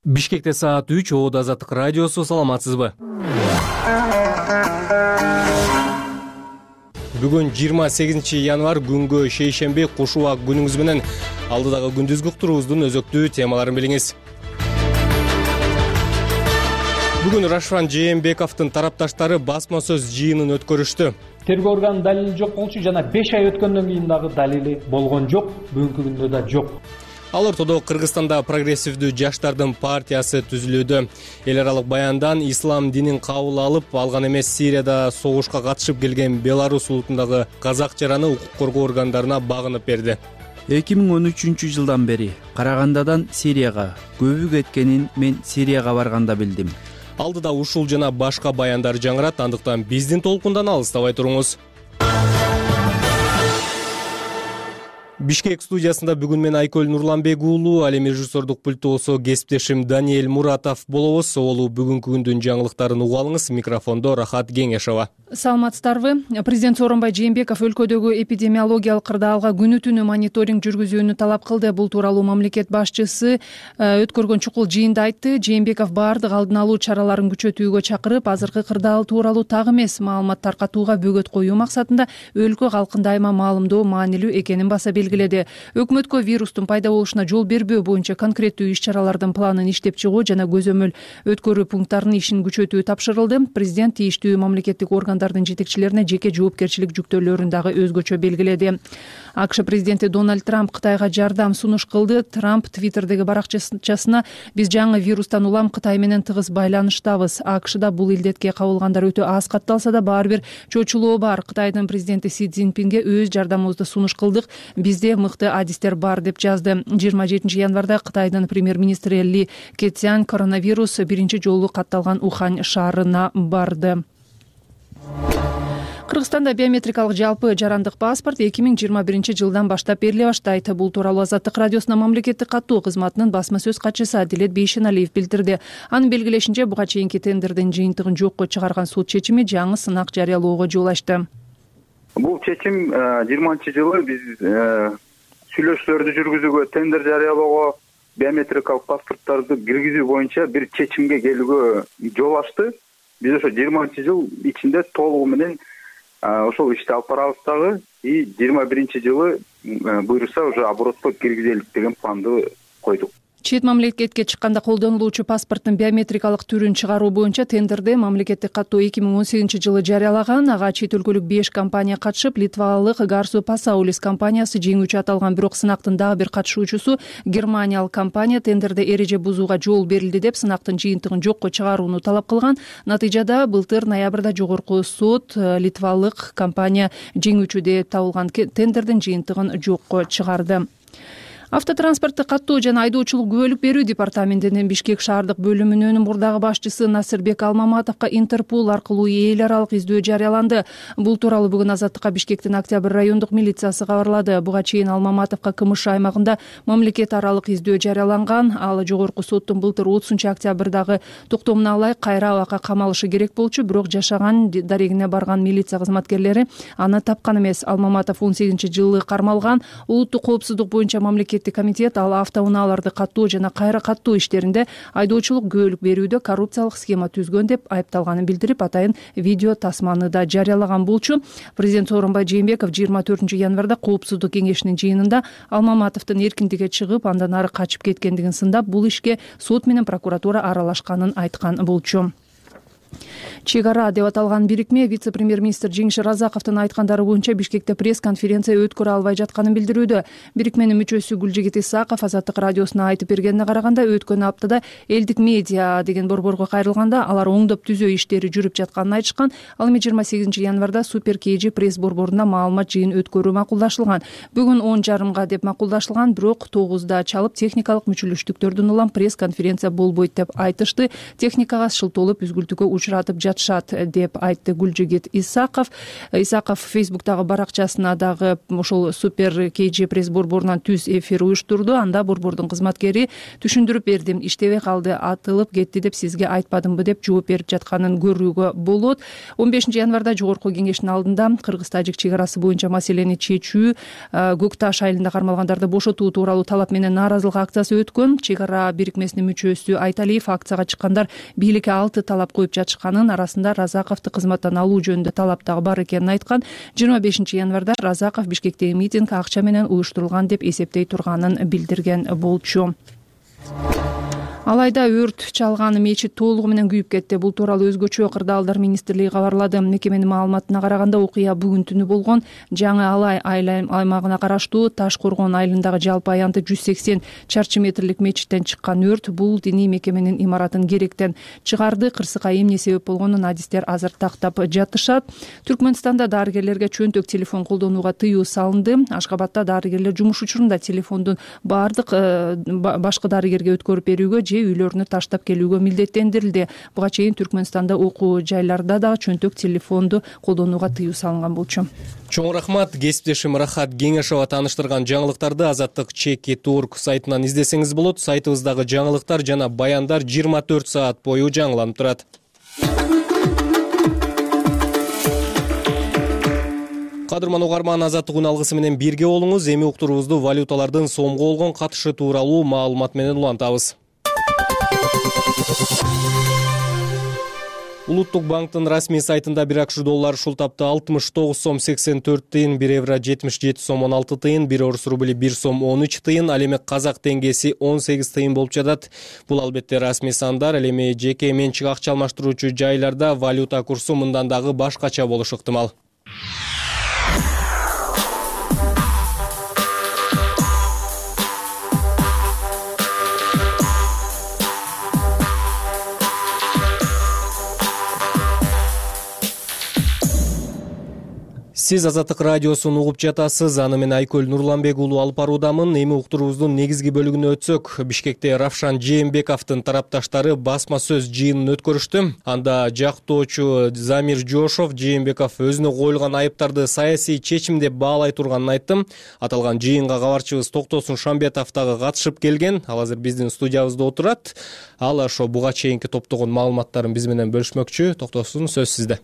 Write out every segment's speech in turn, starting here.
Бишкекте саат 3, Оодо Азаттык радиосу, саламатсызбы? Бүгүн 28 январь күнгө шейшемби, куш убак күнүңүз менен. Алдыдагы күндүзгү турубуздун өзөктүү темаларын билиңиз. Бүгүн Рашфан Жээнбековдун тарапташтары басма сөз жыйынын өткөрүштү. Тергөө органынын далили жок болчу жана 5 ай өткөндөн кийин дагы далили болгон жок, бүгүнкү күндө да жок. Ал ортодо Кыргызстанда прогрессивдүү жаштардын партиясы түзүлүүдө. Эл аралык баяндан ислам динин кабыл алып алган эмес Сирияда согушка катышып келген Беларусь улутундагы казак жараны укук коргоо органдарына багынып берди. 2013 жылдан бери Карагандадан Сирияга көбү кеткенин мен Сирияга барганда билдим. Алдыда ушул жана башка баяндар жаңырат, андыктан биздин толкундан алыстабай туруңуз. Бишкек студиясында бүгүн мен Айкөл Нурланбек уулу, ал эми режиссердук пульту болсо кесиптешим Даниэль Муратов болобуз. Олу бүгүнкү күндүн жаңылыктарын уга алыңыз. Микрофондо Рахат Кеңешова. Саламатсыздарбы? Президент Сооронбай Жээнбеков өлкөдөгү эпидемиологиялык кырдаалга күнү түнү мониторинг жүргүзүүнү талап кылды. Бул тууралуу мамлекет башчысы өткөргөн чукул жыйында айтты. Жээнбеков баардык алдын алуу чараларын күчөтүүгө чакырып, азыркы кырдаал тууралуу так эмес маалымат таркатууга бөгөт коюу максатында өлкө калкын дайыма маалымдоо маанилүү экенин баса белгиледи. Өкмөткө вирустун пайда болушуна жол бербөө боюнча конкреттүү иш-чаралардын планын иштеп чыгуу жана көзөмөл өткөрүү пункттарынын ишин күчөтүү тапшырылды. Президент тийиштүү мамлекеттик органдардын жетекчилерине жеке жоопкерчилик жүктөөлөрүн дагы өзгөчө белгиледи. АКШ президенти Дональд Трамп Кытайга жардам сунуш кылды. Трамп Твиттердеги баракчасына биз жаңы вирустан улам Кытай менен тыгыз байланыштабыз. АКШда бул илдетке кабылгандар өтө аз катталса да баары бир чочулоо бар. Кытайдын президенти Си Цзиньпинге өз жардамыбызды сунуш кылдык. Бизде мыкты адистер бар деп жазды. 27 январда Кытайдын премьер-министри Ли Кэцян коронавирус биринчи жолу катталган Ухань шаарына барды. Кыргызстанда биометрикалык жалпы жарандык паспорт 2021 жылдан баштап бериле баштайт. Бул тууралуу Азаттык радиосунун мамлекеттик каттоо кызматынын басма сөз катчысы Адилет Бейшеналиев билдирди. Анын белгилешинче, буга чейинки тендердин жыйынтыгын жокко чыгарган суд чечими жаңы сынак жарыялоого жол ачты. Бул чечим 20-жылы биз сүйлөшүүлөрдү жүргүзүүгө, тендер жарыялоого, биометрикалык паспорттарды киргизүү боюнча бир чечимге келүүгө жол ачты. Биз ошо 20-жыл ичинде толугу менен ошол ишти алып барабыз дагы, и 21-жылы буйруса уже оборотко киргизелик деген планды койдук. Чет мамлекетке чыкканда колдонулуучу паспорттун биометрикалык түрүн чыгаруу боюнча тендерди мамлекеттик каттоо 2018 жылы жарыялаган. Ага чет өлкөлүк 5 компания катышып, литвалык Garsu Pasaulis компаниясы жеңүүчү аталган, бирок сынактын дагы бир катышуучусу германиялык компания тендерде эреже бузууга жол берилди деп сынактын жыйынтыгын жокко чыгарууну талап кылган. Натыйжада былтыр ноябрда жогорку сот литвалык компания жеңүүчү деп табылган тендердин жыйынтыгын жокко чыгарды. Автотранспортту каттоо жана айдоочулук күбөлүк берүү департаментинин Бишкек шаардык бөлүмүнүн мурдагы башчысы Насырбек Алмаматовго Интерпол аркылуу эл аралык издөө жарыяланды. Бул тууралуу бүгүн Азаттыкка Бишкектин Октябрь райондук милициясы кабарлады. Буга чейин Алмаматовго КМШ аймагында мамлекет аралык издөө жарыяланган. Ал жогорку соттун былтыр 30-октябрдагы токтомуна ылайык кайра абакка камалышы керек болчу, бирок жашаган дарегине барган милиция кызматкерлери аны тапкан эмес. Алмаматов 18-жылы кармалган. Улуттук коопсуздук боюнча мамлекет комитет ал автоунааларды каттоо жана кайра каттоо иштеринде айдоочулук күбөлүк берүүдө коррупциялык схема түзгөн деп айыпталганын билдирип, атайын видео тасманы да жарыялаган болчу. Президент Сооронбай Жээнбеков 24 январда коопсуздук кеңешинин жыйынында Алмаматовдун эркиндикке чыгып, андан ары качып кеткендигин сындап, бул ишке сот менен прокуратура аралашканын айткан болчу. Чек ара деп аталган бирикме вице-премьер-министр Жеңиш Разаковдун айткандары боюнча Бишкекте пресс-конференция өткөрө албай жатканын билдирүүдө. Бирикменин мүчөсү Гүлжигит Исаков Азаттык радиосуна айтып бергенине караганда, өткөн аптада элдик медиа деген борборго кайрылганда алар оңдоп түзөө иштери жүрүп жатканын айтышкан. Ал эми 28 январда Супер КЖ пресс борборунда маалымат жыйын өткөрүү макулдашылган. Бүгүн 10:30 деп макулдашылган, бирок 9-да чалып техникалык мүчөлөштүктөрдүн улам пресс-конференция болбойт деп айтышты. Техникага шылтоолоп үзгүлтүүгө учуратып жатышат деп айтты Гүлжигит Исаков. Исаков Фейсбуктагы баракчасына дагы ошол Супер KG пресс борборунан түз эфир уюштурду. Анда борбордун кызматкери түшүндүрүп бердим, иштебей калды, атылып кетти деп сизге айтпадымбы деп жооп берип жатканын көрүүгө болот. 15 январда жогорку кеңештин алдында кыргыз-тажик чек арасы боюнча маселени чечүү, Көк Таш айылында кармалгандарды бошотуу тууралуу талап менен нааразылык акциясы өткөн. Чек ара бирикмесинин мүчөсү Айталиев акцияга чыккандар бийликке 6 талап коюп жатышканын, арасында Разаковду кызматтан алуу жөнүндө талап дагы бар экенин айткан. 25 январда Разаков Бишкектеги митинг акча менен уюштурулган деп эсептей турганын билдирген болчу. Алайда өрт чалган мечит толугу менен күйүп кетти. Бул тууралуу өзгөчө кырдаалдар министрлиги кабарлады. Мекеменин маалыматына караганда окуя бүгүн түнү болгон. Жаңы Алай аймагына караштуу Таш Коргон айылындагы жалпы аянты 180 чарчы метрлик мечиттен чыккан өрт бул диний мекеменин имаратын керектен чыгарды. Кырсыкка эмне себеп болгонун адистер азыр тактап жатышат. Түркмөнстанда дарыгерлерге чөнтөк телефон колдонууга тыюу салынды. Ашкабадда дарыгерлер жумуш учурунда телефондун баардык башкы дарыгерге өткөрүп берүүгө же үйлөрүнө таштап келүүгө милдеттендирилди. Буга чейин Түркмөнстанда окуу жайларда дагы чөнтөк телефонду колдонууга тыюу салынган болчу. Чоң рахмат. Кесиптешим Рахат Кеңешова тааныштырган жаңылыктарды Азаттык Чеки.org сайтынан издесеңиз болот. Сайтыбыздагы жаңылыктар жана баяндар 24 саат бою жаңыланып турат. Кадырман угарман, Азаттык үн алгысы менен бирге болуңуз. Эми уктуруубузду валюталардын сомго болгон катышы тууралуу маалымат менен улантабыз. Улуттук банктын расмий сайтында 1 акш доллары ушул тапта 69 сом 84 тыйын, 1 евро 77 сом 16 тыйын, 1 орус рубли 1 сом 13 тыйын, ал эми казак теңгеси 18 тыйын болуп жатат. Бул албетте расмий сандар, ал эми жеке менчик акча алмаштыруучу жайларда валюта курсу мындан дагы башкача болушу ыктымал. Сиз Азаттык радиосун угуп жатасыз. Аны мен Айкөл Нурланбек уулу алып баруудамын. Эми уктуруубуздун негизги бөлүгүнө өтсөк, Бишкекте Равшан Жээнбековдун тарапташтары басма сөз жыйынын өткөрүштү. Анда жактоочу Замир Жошов Жээнбеков өзүнө коюлган айыптарды саясий чечим деп баалай турганын айтты. Аталган жыйынга кабарчыбыз Токтосун Шамбетов дагы катышып келген. Ал азыр биздин студиябызда отурат. Ал ошо буга чейинки топтогон маалыматтарын биз менен бөлүшмөкчү. Токтосун, сөз сизде.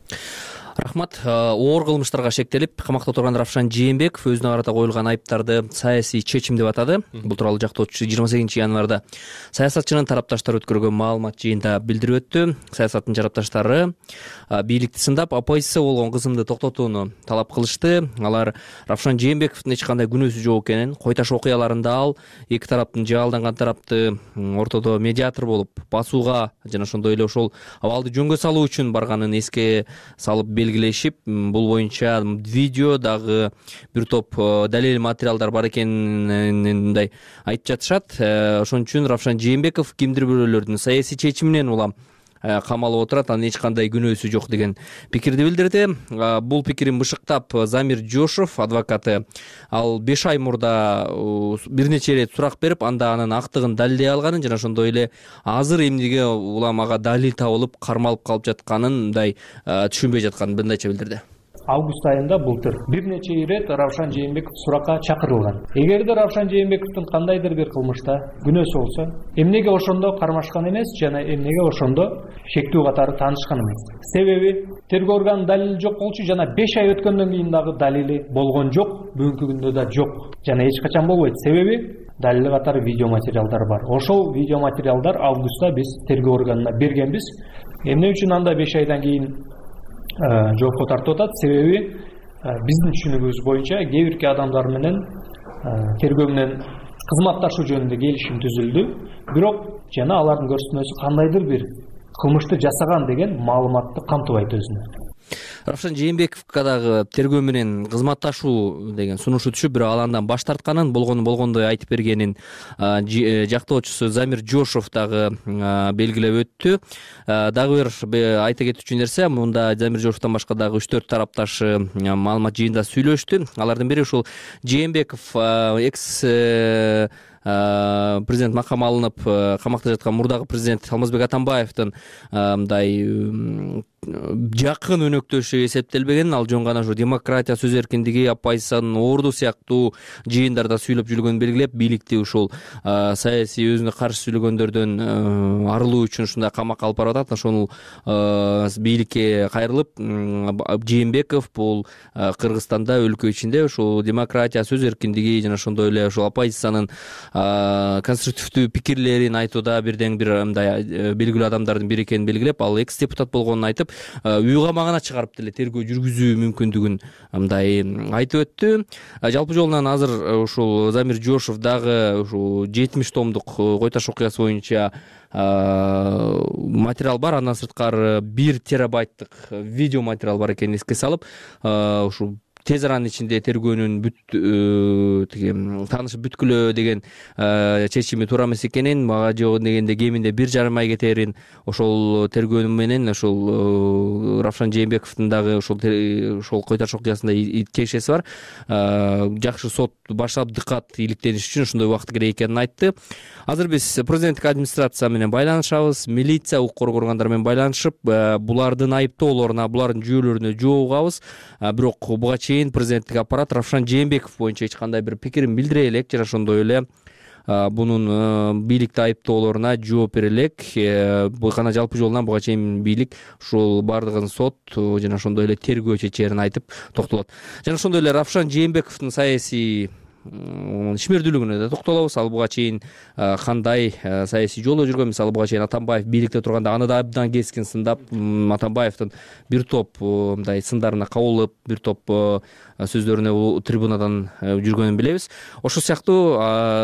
Рахмат. Оор кылмыштарга шектелип, камакта турган Равшан Жээнбеков өзүнө карата коюлган айыптарды саясий чечим деп атады. Бул тууралуу жактоочусу 28 январда саясатчынын тарапташтары өткөргөн маалымат жыйында билдирип өттү. Саясаттын тарапташтары бийликти сындап, оппозиция болгон кызымды токтотууну талап кылышты. Алар Равшан Жээнбековдун эч кандай күнөөсү жок экенин, Койташ окуяларында ал эки тараптын жаалданган тарапты ортодо медиатор болуп басууга жана ошондой эле ошол абалды жөнгө салуу үчүн барганын эске салып белгилешип, бул боюнча видео дагы бир топ далил материалдар бар экенин мындай айтып жатышат. Ошон үчүн Равшан Жээнбеков кимдир бирөөлөрдүн саясий чечиминен улам камалып отурат, анын эч кандай күнөөсү жок деген пикирди билдирди. Бул пикирин бышыктап Замир Жошов адвокаты ал 5 ай мурда бир нече ирет сурак берип, анда анын актыгын далилдей алганын жана ошондой эле азыр эмнеге улам ага далил табылып кармалып калып жатканын мындай түшүнбөй жатканын мындайча билдирди. Август айында былтыр бир нече ирет Равшан Жээнбеков суракка чакырылган. Эгерде Равшан Жээнбековдун кандайдыр бир кылмышта күнөөсү болсо, эмнеге ошондо кармашкан эмес жана эмнеге ошондо шектүү катары таанышкан эмес? Себеби тергөө органынын далили жок болчу жана 5 ай өткөндөн кийин дагы далили болгон жок, бүгүнкү күндө да жок жана эч качан болбойт. Себеби далили катары видео материалдар бар. Ошол видео материалдар августта биз тергөө органына бергенбиз. Эмне үчүн анда 5 айдан кийин жоопко тартып атат? Себеби биздин түшүнүгүбүз боюнча кээ бирки адамдар менен тергөө менен кызматташуу жөнүндө келишим түзүлдү, бирок жана алардын көрсөтмөсү кандайдыр бир кылмышты жасаган деген маалыматты камтыбайт өзүнө. Равшан Жээнбековго дагы тергөө менен кызматташуу деген сунушу түшүп, бирок ал андан баш тартканын, болгондой айтып бергенин жактоочусу Замир Жошов дагы белгилеп өттү. Дагы бир айта кетүүчү нерсе, мында Замир Жошовдон башка дагы 3-4 тарапташы маалымат жыйында сүйлөштү. Алардын бири ушул Жээнбеков экс президент макамы алынып камакта жаткан мурдагы президент Алмазбек Атамбаевдин мындай жакын өнөктөшү эсептелбеген. Ал жөн гана ушу демократия, сөз эркиндиги, оппозициянын орду сыяктуу жыйындарда сүйлөп жүргөнүн белгилеп, бийликти ушул саясий өзүнө каршы сүйлөгөндөрдөн арылуу үчүн ушундай камакка алып барып атат. Ошол бийликке кайрылып, Жээнбеков бул Кыргызстанда өлкө ичинде ушул демократия, сөз эркиндиги жана ошондой эле ушул оппозициянын конструктивдүү пикирлерин айтууда бирден бир мындай белгилүү адамдардын бири экенин белгилеп, ал экс депутат болгонун айтып, үй камагына чыгарып деле тергөө жүргүзүү мүмкүндүгүн мындай айтып өттү. Жалпы жолунан азыр ушул Замир Жошов дагы ушул 70 томдук Кой Таш окуясы боюнча материал бар. Андан сырткары 1 терабайттык видео материал бар экенин эске салып, ушул тез аранын ичинде тергөөнүн таанышып бүткүлө деген чечими туура эмес экенин, мага жок дегенде кеминде 1,5 ай кетерин, ошол тергөө менен ошол Равшан Жээнбековдун дагы ошол Кой Таш окуясында тиешеси бар. Жакшы сот баштап дыкат иликтениш үчүн ошондой убакыт керек экенин айтты. Азыр биз президенттик администрация менен байланышабыз, милиция, укук коргоо органдары менен байланышып, булардын айыптоолоруна, булардын жүйөлөрүнө жооп угабыз. Бирок буга чейин президенттик аппарат Равшан Жээнбеков боюнча эч кандай бир пикирин билдире элек, жана ошондой эле бунун бийликти айыптоолоруна жооп бере элек. Бул гана жалпы жолунан буга чейин бийлик ушул бардыгын сот жана ошондой эле тергөө чечерин айтып токтолот. Жана ошондой эле Равшан Жээнбековдун саясий ишмердүүлүгүнө да токтолобуз. Ал буга чейин кандай саясий жолдо жүргөн, мисалы буга чейин Атамбаев бийликте турганда аны да абдан кескин сындап, Атамбаевдин бир топ мындай сындарына кабылып, бир топ сөздөрүнө трибунадан жүргөнүн билебиз. Ошол сыяктуу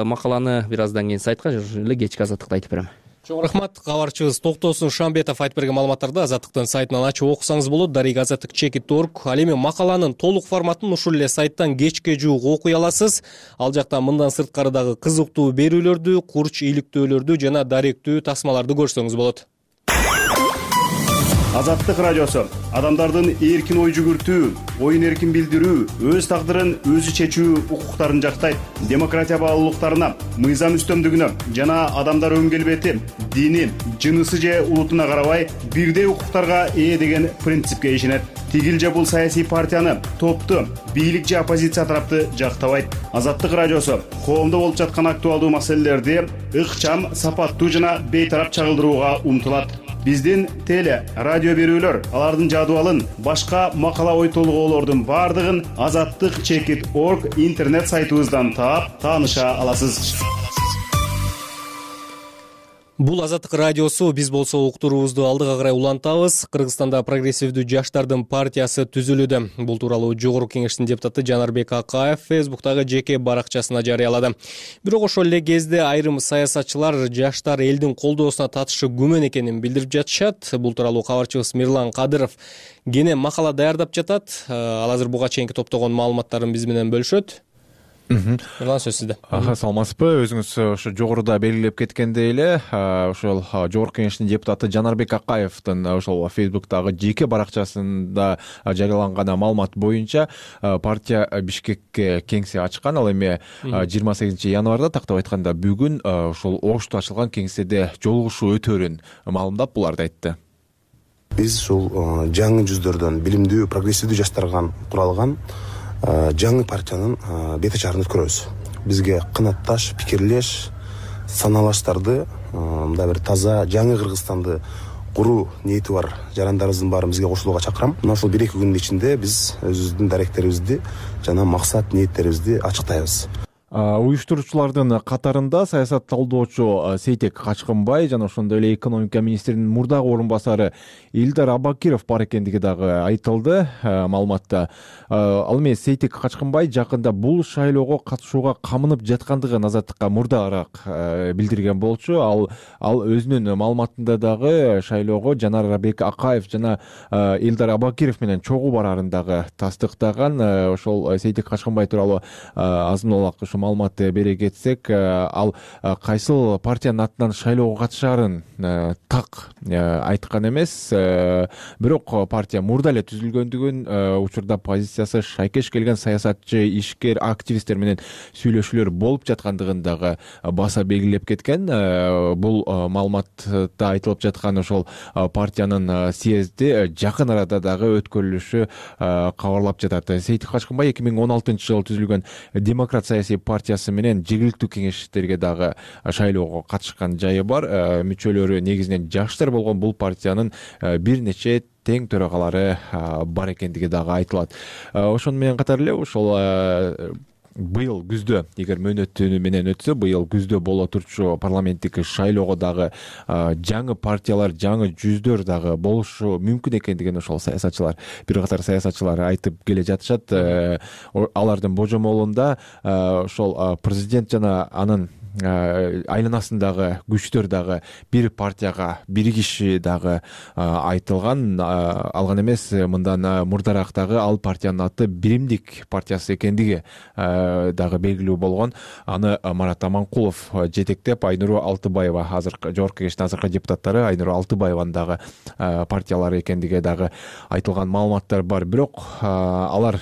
макаланы бир аздан кийин сайтка эле кечки Азаттыкта айтып берем. Чоң рахмат. Кабарчыбыз Токтосун Шамбетов айтып берген маалыматтарды Азаттыктын сайтынан ачып окусаңыз болот. Дарек Азаттык chekit.org. Ал эми макаланын толук форматын ушул эле сайттан кечке жуук окуй аласыз. Ал жакта мындан сырткары дагы кызыктуу берүүлөрдү, курч иликтөөлөрдү жана даректүү тасмаларды көрсөңүз болот. Азаттык радиосу адамдардын эркин ой жүгүртүү, оюн эркин билдирүү, өз тагдырын өзү чечүү укуктарын жактайт. Демократия баалуулуктарына, мыйзам үстөмдүгүнө жана адамдар өң келбети, дини, жынысы же улутуна карабай бирдей укуктарга ээ деген принципке ишенет. Тигил же бул саясий партияны, топту, бийлик же оппозиция тарапты жактабайт. Азаттык радиосу коомдо болуп жаткан актуалдуу маселелерди ыкчам, сапаттуу жана бейтарап чагылдырууга умтулат. Биздин теле, радио берүүлөр, алардын жадыбалын, башка макала ой толгоолордун бардыгын Азаттык chekit.org интернет сайтыбыздан таап, тааныша аласыз. Бул Азаттык радиосу. Биз болсо уктуруубузду алдыга карай улантабыз. Кыргызстанда прогрессивдүү жаштардын партиясы түзүлүүдө. Бул тууралуу Жогорку Кеңештин депутаты Жанарбек Акаев Фейсбуктагы жеке баракчасына жарыялады. Бирок ошол эле кезде айрым саясатчылар жаштар элдин колдоосуна татышы күмөн экенин билдирип жатышат. Бул тууралуу кабарчыбыз Мирлан Кадыров кене макала даярдап жатат. Ал азыр буга чейинки топтогон маалыматтарын биз менен бөлүшөт. Мирлан, сөз сизде. Саламатсызбы? Өзүңүз ошо жогоруда белгилеп кеткендей эле, ошол Жогорку Кеңештин депутаты Жанарбек Акаевдин ошол Фейсбуктагы жеке баракчасында жарыяланган маалымат боюнча партия Бишкекке кеңсе ачкан. Ал эми 28 январда, тактап айтканда бүгүн, ошол Ошто ачылган кеңседе жолугушуу өтөөрүн маалымдап буларды айтты. Биз ушул жаңы жүздөрдөн билимдүү, прогрессивдүү жаштардан куралган жаңы партиянын бет ачарын өткөрөбүз. Бизге кынатташ, пикирлеш, саналаштарды, мындай бир таза жаңы Кыргызстанды куруу ниети бар жарандарыбыздын баарын бизге кошулууга чакырам. Мына ушул 1-2 күндүн ичинде биз өзүбүздүн даректерибизди жана максат ниеттерибизди ачыктайбыз. Уюштуруучулардын катарында саясат талдоочу Сейтек Качкынбай жана ошондой эле экономика министринин мурдагы орун басары Илдар Абакиров бар экендиги дагы айтылды маалыматта. Ал эми Сейтек Качкынбай жакында бул шайлоого катышууга камынып жаткандыгын Азаттыкка мурдараак билдирген болчу. Ал өзүнүн маалыматында дагы шайлоого Жанарбек Акаев жана Илдар Абакиров менен чогуу барарын дагы тастыктаган. Ошол Сейтек Качкынбай тууралуу азын улак маалымат бере кетсек, ал кайсыл партиянын атынан шайлоого катышаарын так айткан эмес, бирок партия мурда эле түзүлгөндүгүн, учурда позициясы шайкеш келген саясатчы, ишкер, активисттер менен сүйлөшүүлөр болуп жаткандыгын дагы баса белгилеп кеткен. Бул маалыматта айтылып жаткан ошол партиянын съезди жакын арада дагы өткөрүлүшү кабарлап жатат. Сейтик Качкынбай 2016 жылы түзүлгөн Демократ саясий партиясы менен жергиликтүү кеңештерге дагы шайлоого катышкан жайы бар. Мүчөлөрү негизинен жаштар болгон бул партиянын бир нече тең төрагалары бар экендиги дагы айтылат. Ошону менен катар эле ошол быйыл күздө, эгер мөөнөтү менен өтсө, быйыл күздө боло турчу парламенттик шайлоого дагы жаңы партиялар, жаңы жүздөр дагы болушу мүмкүн экендигин ошол саясатчылар, бир катар саясатчылар айтып келе жатышат. Алардын божомолунда ошол президент жана анын айланасындагы күчтөр дагы бир партияга биригиши дагы айтылган. Ал гана эмес, мындан мурдараак дагы ал партиянын аты Биримдик партиясы экендиги дагы белгилүү болгон. Аны Марат Аманкулов жетектеп, Айнуру Алтыбаева, азыркы жогорку кеңештин азыркы депутаттары Айнуру Алтыбаеванын дагы партиялары экендиги дагы айтылган маалыматтар бар. Бирок алар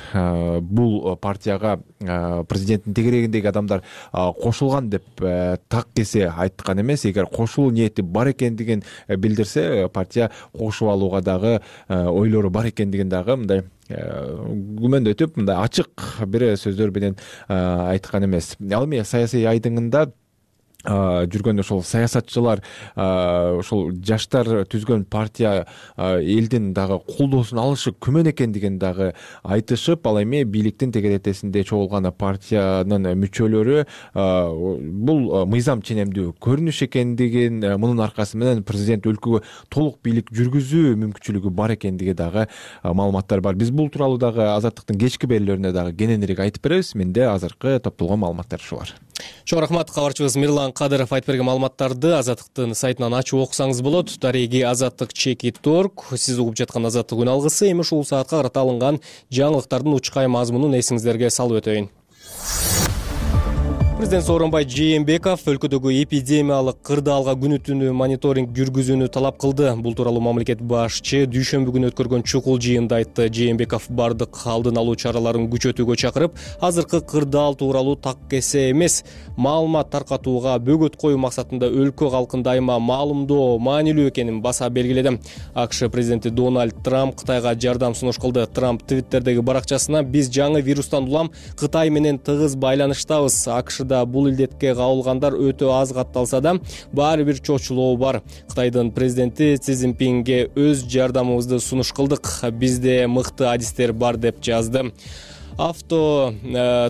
бул партияга президенттин тегерегиндеги адамдар кошулган деп так кесе айткан эмес. Эгер кошулуу ниети бар экендигин билдирсе, партия кошуп алууга дагы ойлору бар экендигин дагы мындай күмөндөтүп, мындай ачык бир сөздөр менен айткан эмес. Ал эми саясий айдыңында жүргөн ошол саясатчылар, ошол жаштар түзгөн партия элдин дагы колдоосун алышы күмөн экендигин дагы айтышып, ал эми бийликтин тегеретесинде чогулган партиянын мүчөлөрү бул мыйзам ченемдүү көрүнүш экендигин, мунун аркасы менен президент өлкөгө толук бийлик жүргүзүү мүмкүнчүлүгү бар экендиги дагы маалыматтар бар. Биз бул тууралуу дагы Азаттыктын кечки берүүлөрүнө дагы кененирээк айтып беребиз. Менде азыркы топтолгон маалыматтар ушулар. Чоң рахмат, кабарчыбыз Мирлан Кадыров айтып берген маалыматтарды Азаттыктын сайтынан ачып окусаңыз болот. Дареги Азаттык.org. Сиз угуп жаткан Азаттык күн алгысы. Эми ушул саатка карата алынган жаңылыктардын учкай мазмунун эсиңиздерге салып өтөйүн. Президент Сооронбай Жээнбеков өлкөдөгү эпидемиялык кырдаалга күнү түнү мониторинг жүргүзүүнү талап кылды. Бул тууралуу мамлекет башчы дүйшөмбү күнү өткөргөн чукул жыйында айтты. Жээнбеков бардык алдын алуу чараларын күчөтүүгө чакырып, азыркы кырдаал тууралуу так кесе эмес маалымат таркатууга бөгөт коюу максатында өлкө калкын дайыма маалымдоо маанилүү экенин баса белгиледи. АКШ президенти Дональд Трамп Кытайга жардам сунуш кылды. Трамп Твиттердеги баракчасына: "Биз жаңы вирустан улам Кытай менен тыгыз байланыштабыз. АКШда бул илдетке кабылгандар өтө аз катталса да, баары бир чочулоо бар. Кытайдын президенти Си Цзиньпинге өз жардамыбызды сунуш кылдык. Бизде мыкты адистер бар", деп жазды. Авто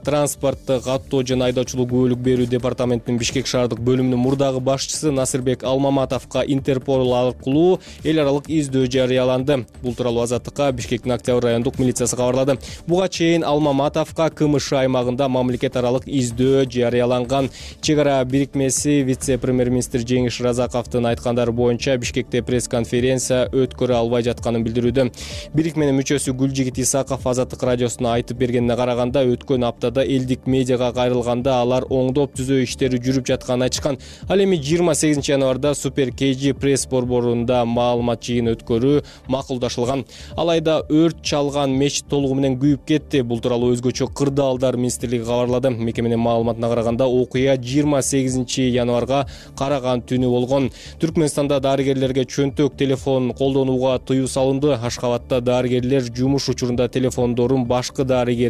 транспорттук каттоо жана айдоочулук күбөлүк берүү департаментинин Бишкек шаардык бөлүмүнүн мурдагы башчысы Насырбек Алмаматовго Интерпол аркылуу эл аралык издөө жарыяланды. Бул тууралуу Азаттыкка Бишкектин Октябрь райондук милициясы кабарлады. Буга чейин Алмаматовго КМШ аймагында мамлекет аралык издөө жарыяланган. Чек ара бирикмеси вице-премьер-министр Жеңиш Разаковдун айткандары боюнча Бишкекте пресс-конференция өткөрө албай жатканын билдирүүдө. Бирикменин мүчөсү Гүлжигит Исаков Азаттык радиосуна айтып бергенине караганда, өткөн аптада элдик медиага кайрылганда алар оңдоп түзөө иштери жүрүп жатканын айтышкан. Ал эми 28 январда Супер KG пресс борборунда маалымат жыйын өткөрүү макулдашылган. Алайда өрт чалган мечит толугу менен күйүп кетти. Бул тууралуу өзгөчө кырдаалдар министрлиги кабарлады. Мекеменин маалыматына караганда, окуя 28 январга караган түнү болгон. Түркмөнстанда дарыгерлерге чөнтөк телефон колдонууга тыюу салынды. Ашкабатта дарыгерлер жумуш учурунда телефондорун башкы дарыгерге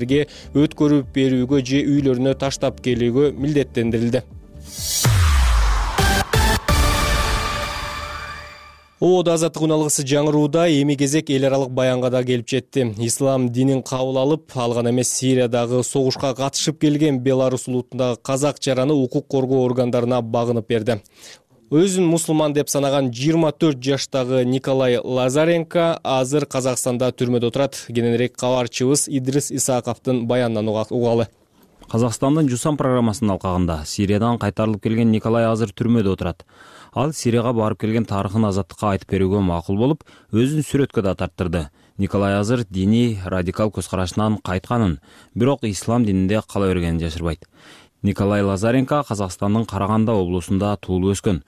өткөрүп берүүгө же үйлөрүнө таштап келүүгө милдеттендирилди. Оода Азаттык күн алгысы жаңырууда эми кезек эл аралык баянга да келип жетти. Ислам динин кабыл алып, ал гана эмес Сириядагы согушка катышып келген Беларус улутундагы казак жараны укук коргоо органдарына багынып берди. Өзүн мусулман деп санаган 24 жаштагы Николай Лазаренко азыр Казакстанда түрмөдө отурат. Кененирээк кабарчыбыз Идрис Исаковдун баянынан угалы. Казакстандын Жусан программасынын алкагында Сириядан кайтарылып келген Николай азыр түрмөдө отурат. Ал Сирияга барып келген тарыхын Азаттыкка айтып берүүгө макул болуп, өзүн сүрөткө да тарттырды. Николай азыр диний радикал көз карашынан кайтканын, бирок ислам дининде кала бергенин жашырбайт. Николай Лазаренко Казакстандын Караганда облусунда туулуп өскөн.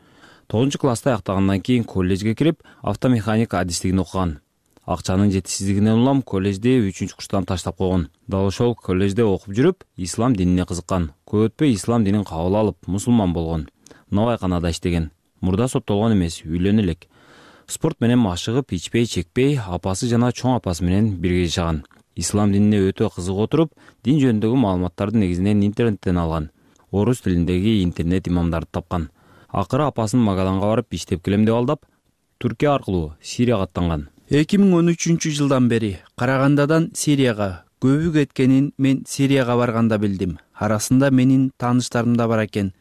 9 класста аяктагандан кийин коллежге кирип, автомеханик адистигин окуган. Акчанын жетишсиздигинен улам коллежди 3-курстан таштап койгон. Дал ошол коллежде окуп жүрүп, ислам динине кызыккан. Көп өтпөй ислам динин кабыл алып, мусулман болгон. Новайканада иштеген. Мурда соттолгон эмес, үйлөнө элек. Спорт менен машыгып, ичпей, чекпей, апасы жана чоң апасы менен бирге жашаган. Ислам динине өтө кызыгып отуруп, дин жөнүндөгү маалыматтарды негизинен интернеттен алган. Орус тилиндеги интернет имамдарды тапкан. Акыры апасын Магаданга барып иштеп келем деп алдап, Түркия аркылуу Сирияга аттанган. 2013-жылдан бери Карагандадан Сирияга көбү кеткенин мен Сирияга барганда билдим. Арасында менин тааныштарым да бар экен.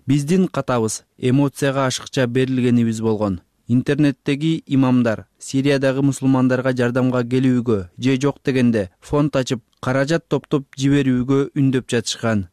Биздин катабыз эмоцияга ашыкча берилгенибиз болгон. Интернеттеги имамдар Сириядагы мусулмандарга жардамга келүүгө же жок дегенде фонд ачып, каражат топтоп жиберүүгө үндөп жатышкан.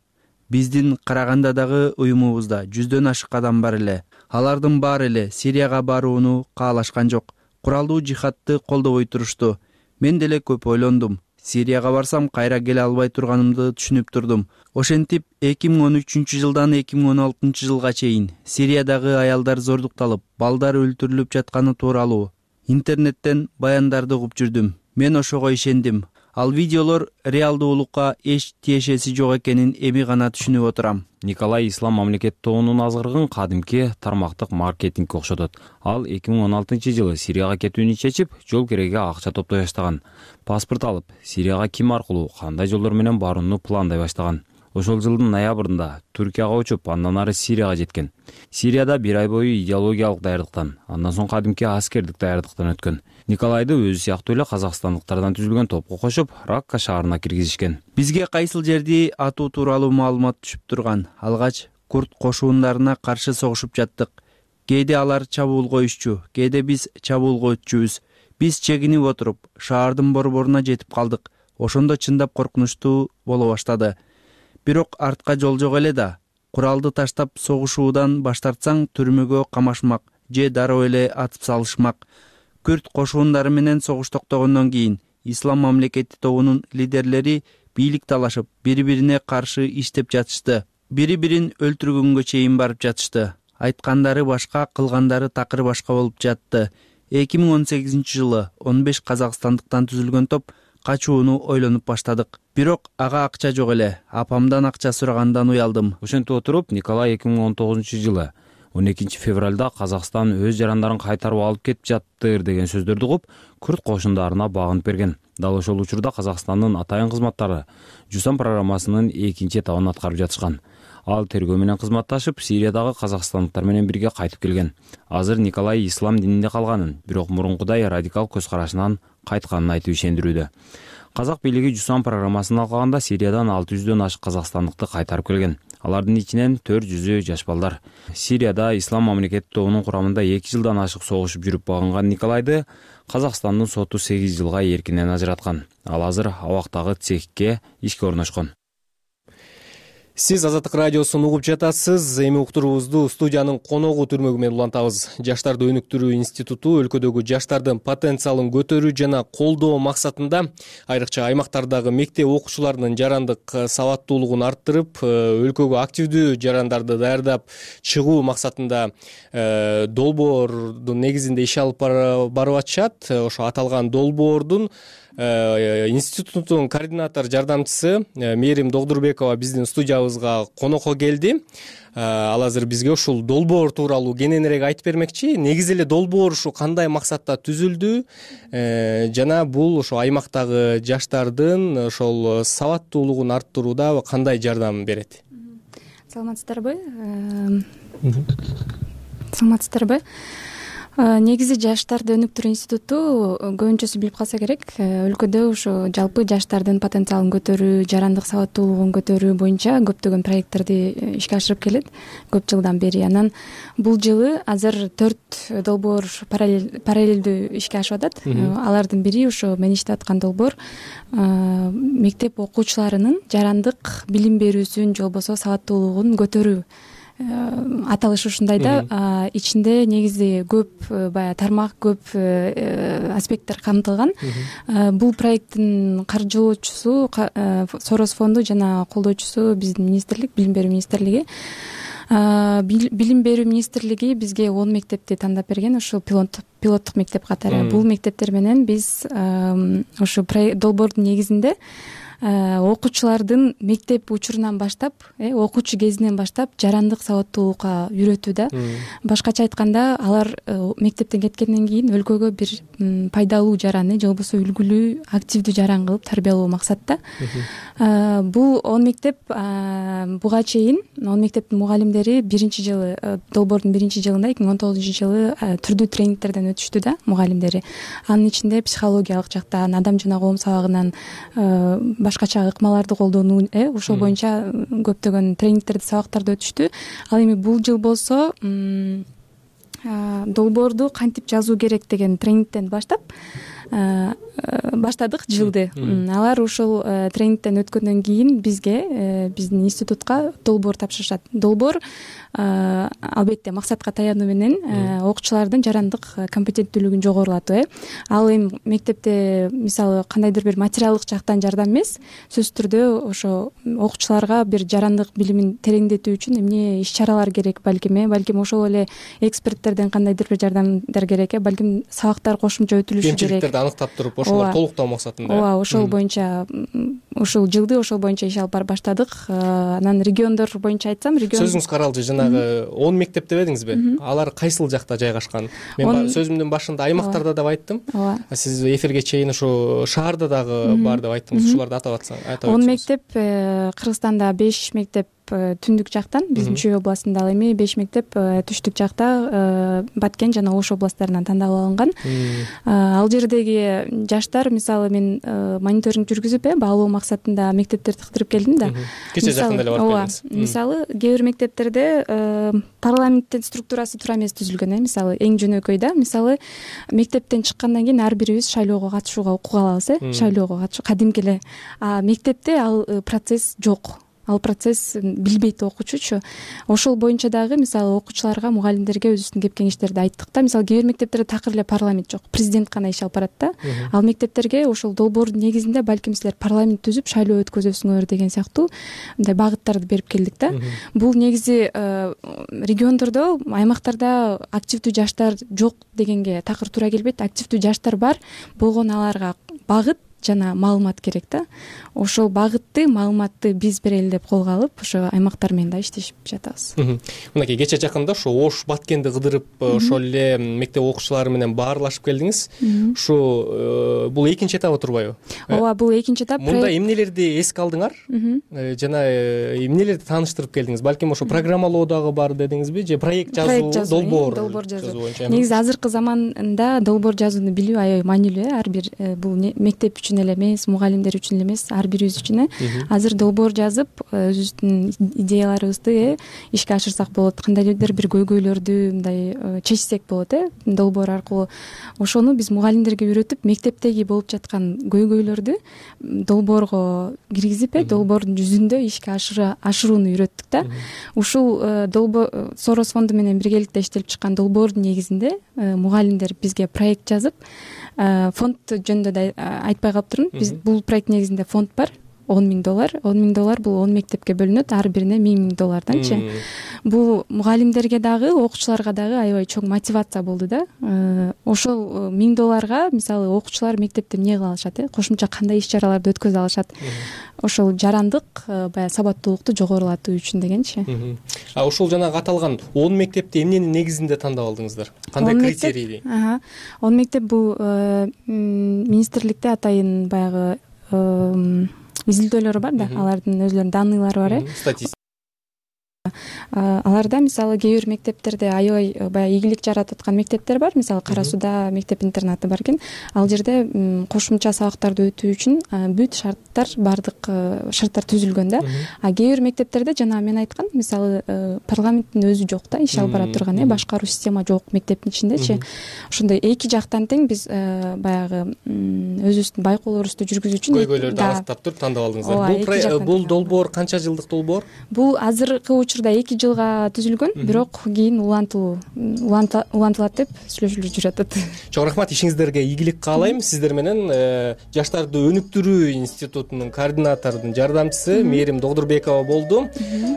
Биздин Карагандадагы уюмубузда 100дөн ашык адам бар эле. Алардын баары эле Сирияга барууну каалашкан жок. Куралдуу жихадты колдобой турушту. Мен деле көп ойлондум. Сирияга барсам кайра келе албай турганымды түшүнүп турдум. Ошентип 2013-жылдан 2016-жылга чейин Сириядагы аялдар зордукталып, балдар өлтүрүлүп жатканы тууралуу интернеттен баяндарды угуп жүрдүм. Мен ошого ишендим. Ал видеолор реалдуулукка эч тиешеси жок экенин эми гана түшүнүп отурам. Николай ислам мамлекети тобунун азгырыгын кадимки тармактык маркетингге окшотот. Ал 2016-жылы Сирияга кетүүнү чечип, жол кереге акча топтой баштаган. Паспорт алып, Сирияга ким аркылуу, кандай жолдор менен барууну пландай баштаган. Ошол жылдын ноябрында Түркияга учуп, андан ары Сирияга жеткен. Сирияда 1 ай бою идеологиялык даярдыктан, андан соң кадимки аскердик даярдыктан өткөн. Николайды өзү сыяктуу эле казакстандыктардан түзүлгөн топко кошуп, Ракка шаарына киргизишкен. Бизге кайсыл жерди атуу тууралуу маалымат түшүп турган. Алгач курд кошуундарына каршы согушуп жаттык. Кээде алар чабуулга өтчү, кээде биз чабуулга өтчүбүз. Биз чегинип отуруп, шаардын борборуна жетип калдык. Ошондо чындап коркунучтуу боло баштады. Бирок артка жол жок эле да. Куралды таштап согушуудан баш тартсаң түрмөгө камашмак же дароо эле атып салышмак. Күрд кошуундары менен согуш токтогондон кийин ислам мамлекети тобунун лидерлери бийлик талашып, бири-бирине каршы иштеп жатышты. Бири-бирин өлтүргөнгө чейин барып жатышты. Айткандары башка, кылгандары такыр башка болуп жатты. 2018-жылы 15 казакстандыктан түзүлгөн топ качууну ойлонуп баштадык. Бирок ага акча жок эле. Апамдан акча сурагандан уялдым. Ошентип отуруп, Николай 2019-жылы 12 февралда Казакстан өз жарандарын кайтарып алып кетип жаттыр деген сөздөрдү угуп, күрд кошундарына багынып берген. Дал ошол учурда Казакстандын атайын кызматтары Жусан программасынын 2 этабын аткарып жатышкан. Ал тергөө менен кызматташып, Сириядагы казакстандыктар менен бирге кайтып келген. Азыр Николай ислам дининде калганын, бирок мурункудай радикал көз карашынан кайтканын айтып ишендирүүдө. Казак бийлиги Жусан программасын алганда Сириядан 600дөн ашык казакстандыкты кайтарып келген. Алардын ичинен 400-ü жаш балдар. Сирияда ислам мамлекети тобунун курамында 2 жылдан ашык согушуп жүрүп багынган Николайды Казакстандын соту 8 жылга эркинен ажыраткан. Ал азыр абактагы цехке ишке орношкон. Сиз Азаттык радиосун угуп жатасыз. Эми уктуруубузду студиянын коногу түрмөгү менен улантабыз. Жаштарды өнүктүрүү институту өлкөдөгү жаштардын потенциалын көтөрүү жана колдоо максатында айрыкча аймактардагы мектеп окуучуларынын жарандык сабаттуулугун арттырып, өлкөгө активдүү жарандарды даярдап чыгуу максатында долбоордун негизинде иш алып барып атышат. Ошо аталган долбоордун институттун координатор жардамчысы Мээрим Догдурбекова биздин студиябызга конокко келди. Ал азыр бизге ушул долбоор тууралуу кененирээк айтып бермекчи. Негизи эле долбоор ушу кандай максатта түзүлдү жана бул ошо аймактагы жаштардын ошол сабаттуулугун арттырууда кандай жардам берет? Саламатсыздарбы? Саламатсыздарбы? Негизи жаштарды өнүктүрүү институту көбүнчөсү билип калса керек, өлкөдө ушу жалпы жаштардын потенциалын көтөрүү, жарандык сабаттуулугун көтөрүү боюнча көптөгөн проекттерди ишке ашырып келет көп жылдан бери. Анан бул жылы азыр 4 долбоор параллелдүү ишке ашып атат. Алардын бири ушу мен иштеп аткан долбоор мектеп окуучуларынын жарандык билим берүүсүн же болбосо сабаттуулугун көтөрүү аталышы ушундай да. Ичинде негизи көп баягы тармак, көп аспекттер камтылган. Бул проекттин каржылоочусу Сорос фонду жана колдоочусу биздин министрлик, Билим берүү министрлиги. Билим берүү министрлиги бизге 10 мектепти тандап берген, ошол пилоттук мектеп катары. Бул мектептер менен биз ошо долбоордун негизинде окуучулардын мектеп учурунан баштап, окуучу кезинен баштап жарандык сабаттуулукка үйрөтүү да. Башкача айтканда, алар мектептен кеткенден кийин өлкөгө бир пайдалуу жараны же болбосо үлгүлүү, активдүү жаран кылып тарбиялоо максатта. Бул 10 мектеп буга чейин 10 мектептин мугалимдери биринчи жылы, долбоордун биринчи жылында 2019-жылы түрдүү тренингтерден өтүштү да мугалимдери. Анын ичинде психологиялык жактан, адам жана коом сабагынан башкача ыкмаларды колдонуу, ошол боюнча көптөгөн тренингтерди, сабактарды өтүштү. Ал эми бул жыл болсо долбоорду кантип жазуу керек деген тренингден баштадык жылды. Алар ошол тренингден өткөндөн кийин бизге, биздин институтка долбоор тапшырышат. Долбоор албетте максатка таянуу менен окуучулардын жарандык компетенттүүлүгүн жогорулатуу. Ал эми мектепте мисалы кандайдыр бир материалдык жактан жардам эмес, сөзсүз түрдө ошо окуучуларга бир жарандык билимин тереңдетүү үчүн эмне иш-чаралар керек, балким ошол эле эксперттерден кандайдыр бир жардамдар керек, балким сабактар кошумча өтүлүшү керек. Аныктап туруп, ошолор толуктоо максатында. Ооба, ошол боюнча ушул жылды ошол боюнча иш алып барып баштадык. Анан региондор боюнча айтсам, сөзүңүз каралды, жанагы 10 мектеп деп эдиңизби? Алар кайсыл жакта жайгашкан? Мен сөзүмдүн башында аймактарда деп айттым. Сиз эфирге чейин ушу шаарда дагы бар деп айттыңыз. Ушуларды атап атсаңыз. 10 мектеп Кыргызстанда 5 мектеп түндүк жактан, биздин Чүй областында, ал эми 5 мектеп түштүк жакта Баткен жана Ош областтарынан тандалып алынган. Ал жердеги жаштар, мисалы мен мониторинг жүргүзүп, баалоо максатында мектептерди кыдырып келдим да. Кече жакында эле барып келдиңиз. Мисалы кээ бир мектептерде парламенттин структурасы туура эмес түзүлгөн, мисалы эң жөнөкөй да. Мисалы мектептен чыккандан кийин ар бирибиз шайлоого катышууга укук алабыз, шайлоого катышуу кадимки эле. Мектепте ал процесс жок. Ал процесс билбейт окуучучу. Ошол боюнча дагы мисалы окуучуларга, мугалимдерге өзүбүздүн кеп кеңештерди айттык да. Мисалы кээ бир мектептерде такыр эле парламент жок, президент гана иш алып барат да. Ал мектептерге ошол долбоордун негизинде балким силер парламент түзүп шайлоо өткөзөсүңөр деген сыяктуу мындай багыттарды берип келдик да. Бул негизи региондордо, аймактарда активдүү жаштар жок дегенге такыр туура келбейт. Активдүү жаштар бар, болгону аларга багыт жана маалымат керек да. Ошол багытты, маалыматты биз берели деп колго алып, ошо аймактар менен да иштешип жатабыз. Мынакей кече жакында ошо Ош, Баткенди кыдырып, ошол эле мектеп окуучулары менен баарлашып келдиңиз. Ушу бул экинчи этабы турбайбы? Ооба, бул экинчи этап. Мында эмнелерди эске алдыңар? Жана эмнелерди тааныштырып келдиңиз? Балким ошо программалоо дагы бар дедиңизби, же проект жазуу, долбоор жазуу? Негизи азыркы заманда долбоор жазууну билүү аябай маанилүү. Ар бир бул мектеп үчүн эле эмес, мугалимдер үчүн эле эмес, ар бирибиз үчүн. Азыр долбоор жазып, өзүбүздүн идеяларыбызды ишке ашырсак болот. Кандайдыр бир көйгөйлөрдү мындай чечсек болот, долбоор аркылуу. Ошону биз мугалимдерге үйрөтүп, мектептеги болуп жаткан көйгөйлөрдү долбоорго киргизип, долбоордун жүзүндө ишке ашырууну үйрөттүк да. Ушул долбоор Сорос фонду менен биргеликте иштелип чыккан долбоордун негизинде мугалимдер бизге проект жазып, фонд жөнүндө да айтпай калыптырмын. Биз бул проект негизинде фонд бар. $10,000. $10,000 бул 10 мектепке бөлүнөт, ар бирине $1,000-данчы. Бул мугалимдерге дагы, окуучуларга дагы аябай чоң мотивация болду да. Ошол $1,000 мисалы окуучулар мектепте эмне кыла алышат, кошумча кандай иш-чараларды өткөзө алышат. Ошол жарандык баягы сабаттуулукту жогорулатуу үчүн дегенчи. Ошол жанагы аталган 10 мектепти эмненин негизинде тандап алдыңыздар? Кандай критерийди? 10 мектеп бул министрликте атайын баягы изилдөөлөрү бар да, алардын өзлөрүнүн данныйлары бар. Аларда мисалы кээ бир мектептерде аябай баягы ийгилик жаратып аткан мектептер бар. Мисалы Кара Сууда мектеп интернаты бар экен. Ал жерде кошумча сабактарды өтүү үчүн бүт шарттар, бардык шарттар түзүлгөн да. Кээ бир мектептерде жана мен айткан, мисалы парламенттин өзү жок да, иш алып бара турган, башкаруу система жок мектептин ичиндечи. Ошондой эки жактан тең биз баягы өзүбүздүн байкоолорубузду жүргүзүү үчүн көйгөйлөрдү аныктап туруп тандап алдыңыздар. Бул долбоор канча жылдык долбоор? Бул азыркы учурда 2 жылга түзүлгөн, бирок кийин улантылат деп сүйлөшүлүп жүрүп атат. Чоң рахмат, ишиңиздерге ийгилик каалайм. Сиздер менен жаштарды өнүктүрүү институтунун координаторунун жардамчысы Мээрим Догдурбекова болду.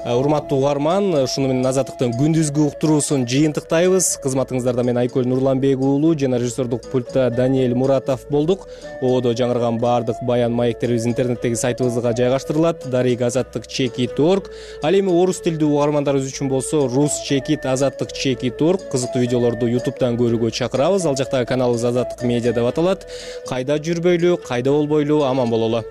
Урматтуу угарман, ушуну менен Азаттыктын күндүзгү уктуруусун жыйынтыктайбыз. Кызматыңыздарда мен Айкөл Нурланбек уулу жана режиссердук пультта Даниэль Муратов болдук. Ободо жаңырган баардык баян маектерибиз интернеттеги сайтыбызга жайгаштырылат. Дарик Азаттык.org. Ал эми орус тилдүү угармандарыбыз үчүн болсо rusчекит.azаттык.org. Кызыктуу видеолорду YouTube'дан көрүүгө чакырабыз. Ал жактагы каналыбыз Азаттык медиа деп аталат. Кайда жүрбөйлү, кайда болбойлу, аман бололу.